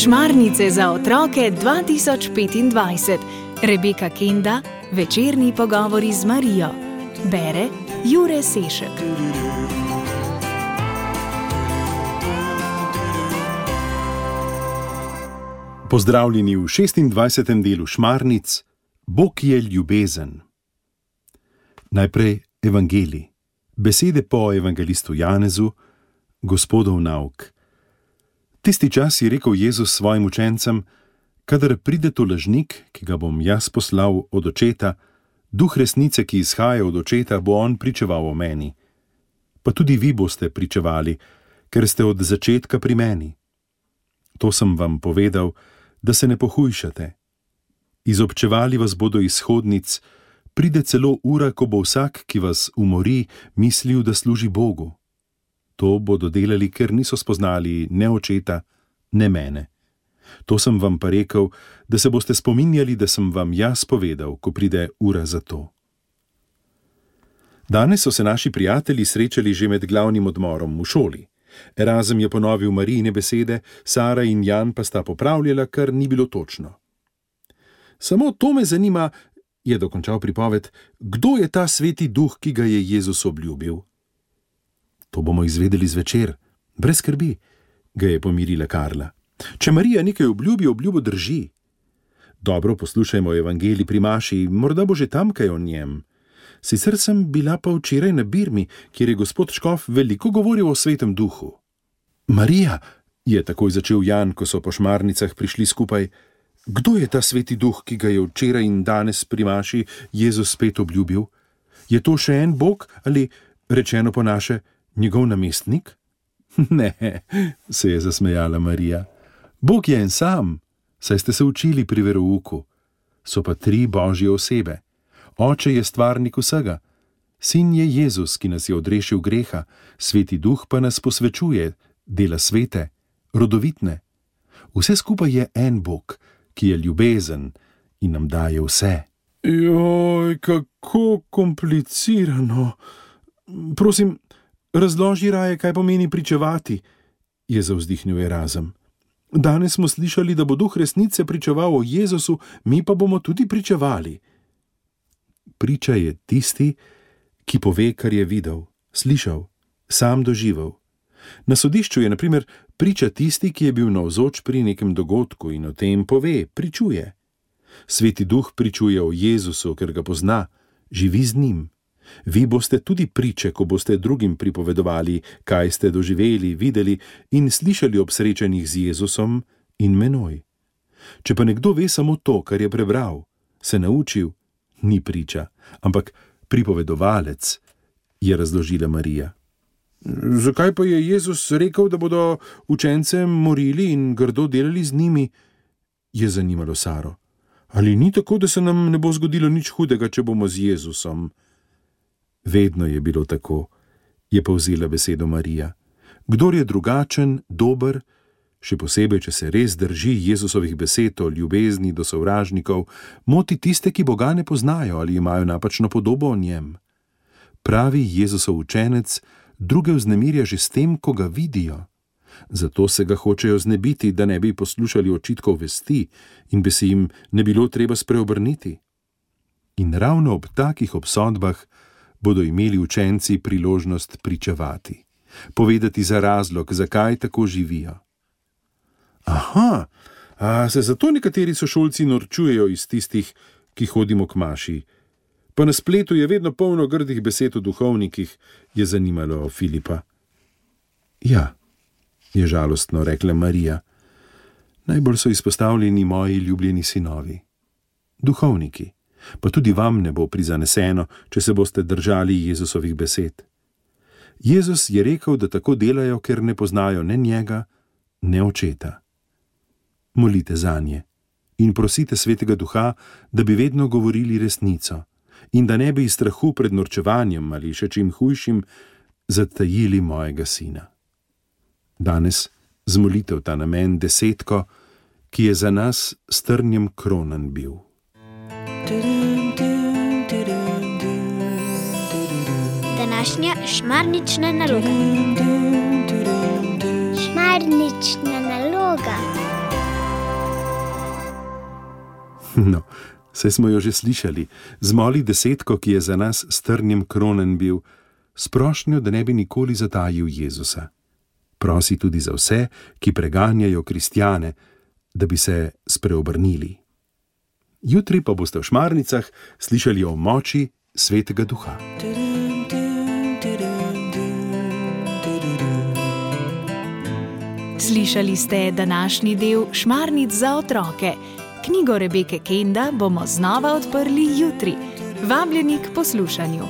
Šmarnice za otroke 2025. Rebeka Kenda, večerni pogovori z Marijo. Bere Jure Sešek. Pozdravljeni v 26. delu Šmarnic. Bog je ljubezen. Najprej evangelij. Besede po evangelistu Janezu, Gospodov nauk. Tisti čas je rekel Jezus svojim učencem: kadar pride to lažnik, ki ga bom jaz poslal od očeta, duh resnice, ki izhaja od očeta, bo on pričeval o meni. Pa tudi vi boste pričevali, ker ste od začetka pri meni. To sem vam povedal, da se ne pohujšate. Izobčevali vas bodo iz shodnic, pride celo ura, ko bo vsak, ki vas umori, mislil, da služi Bogu. To bodo delali, ker niso spoznali ne očeta, ne mene. To sem vam pa rekel, da se boste spominjali, da sem vam jaz povedal, ko pride ura za to. Danes so se naši prijatelji srečali že med glavnim odmorom v šoli. Erazem je ponovil Marijine besede, Sara in Jan pa sta popravljala, kar ni bilo točno. Samo to me zanima, je dokončal pripoved, kdo je ta sveti duh, ki ga je Jezus obljubil? To bomo izvedeli zvečer, brez skrbi, ga je pomirila Karla. Če Marija nekaj obljubi, obljubo drži. Dobro poslušajmo evangelij pri maši, morda bo že tam kaj o njem. Sicer sem bila pa včeraj na Birmi, kjer je gospod škof veliko govoril o svetem duhu. Marija, je takoj začel Jan, ko so po Šmarnicah prišli skupaj, kdo je ta sveti duh, ki ga je včeraj in danes pri maši Jezus spet obljubil? Je to še en Bog ali, rečeno po naše, njegov namestnik? Ne, se je zasmejala Marija. Bog je en sam, saj ste se učili pri verouku. So pa tri božje osebe. Oče je stvarnik vsega. Sin je Jezus, ki nas je odrešil greha, sveti duh pa nas posvečuje, dela svete, rodovitne. Vse skupaj je en Bog, ki je ljubezen in nam daje vse. Joj, kako komplicirano. Prosim, razloži raje, kaj pomeni pričevati, je zavzdihnil Erazem. Danes smo slišali, da bo duh resnice pričeval o Jezusu, mi pa bomo tudi pričevali. Priča je tisti, ki pove, kar je videl, slišal, sam doživel. Na sodišču je, na primer, priča tisti, ki je bil navzoč pri nekem dogodku in o tem pove, pričuje. Sveti duh pričuje o Jezusu, ker ga pozna, živi z njim. Vi boste tudi priče, ko boste drugim pripovedovali, kaj ste doživeli, videli in slišali ob srečanjih z Jezusom in menoj. Če pa nekdo ve samo to, kar je prebral, se naučil, ni priča, ampak pripovedovalec, je razložila Marija. Zakaj pa je Jezus rekel, da bodo učence morili in grdo delali z njimi? Je zanimalo Saro. Ali ni tako, da se nam ne bo zgodilo nič hudega, če bomo z Jezusom? Vedno je bilo tako, je povzela besedo Marija. Kdor je drugačen, dober, še posebej, če se res drži Jezusovih besed o ljubezni do sovražnikov, moti tiste, ki Boga ne poznajo ali imajo napačno podobo o njem. Pravi Jezusov učenec druge vznemirja že s tem, ko ga vidijo. Zato se ga hočejo znebiti, da ne bi poslušali očitkov vesti in bi se jim ne bilo treba spreobrniti. In ravno ob takih obsodbah bodo imeli učenci priložnost pričevati, povedati za razlog, zakaj tako živijo. Aha, a se zato nekateri sošolci norčujejo iz tistih, ki hodimo k maši. Pa na spletu je vedno polno grdih besed o duhovnikih, je zanimalo Filipa. Ja, je žalostno rekla Marija. Najbolj so izpostavljeni moji ljubljeni sinovi. Duhovniki. Pa tudi vam ne bo prizaneseno, če se boste držali Jezusovih besed. Jezus je rekel, da tako delajo, ker ne poznajo ne njega, ne očeta. Molite zanje in prosite svetega duha, da bi vedno govorili resnico in da ne bi iz strahu pred norčevanjem ali še čim hujšim zatajili mojega sina. Danes z molitev ta namen 10, ki je za nas s trnjem kronan bil. današnja šmarnična naloga. Šmarnična naloga. No, saj smo jo že slišali. Zmoli desetko, ki je za nas s trnjem kronen bil, s prošnjo, da ne bi nikoli zatajil Jezusa. Prosi tudi za vse, ki preganjajo kristjane, da bi se spreobrnili. Jutri pa boste v Šmarnicah slišali o moči Svetega Duha. Slišali ste današnji del Šmarnic za otroke. Knjigo Rebeke Kenda bomo znova odprli jutri. Vabljeni k poslušanju.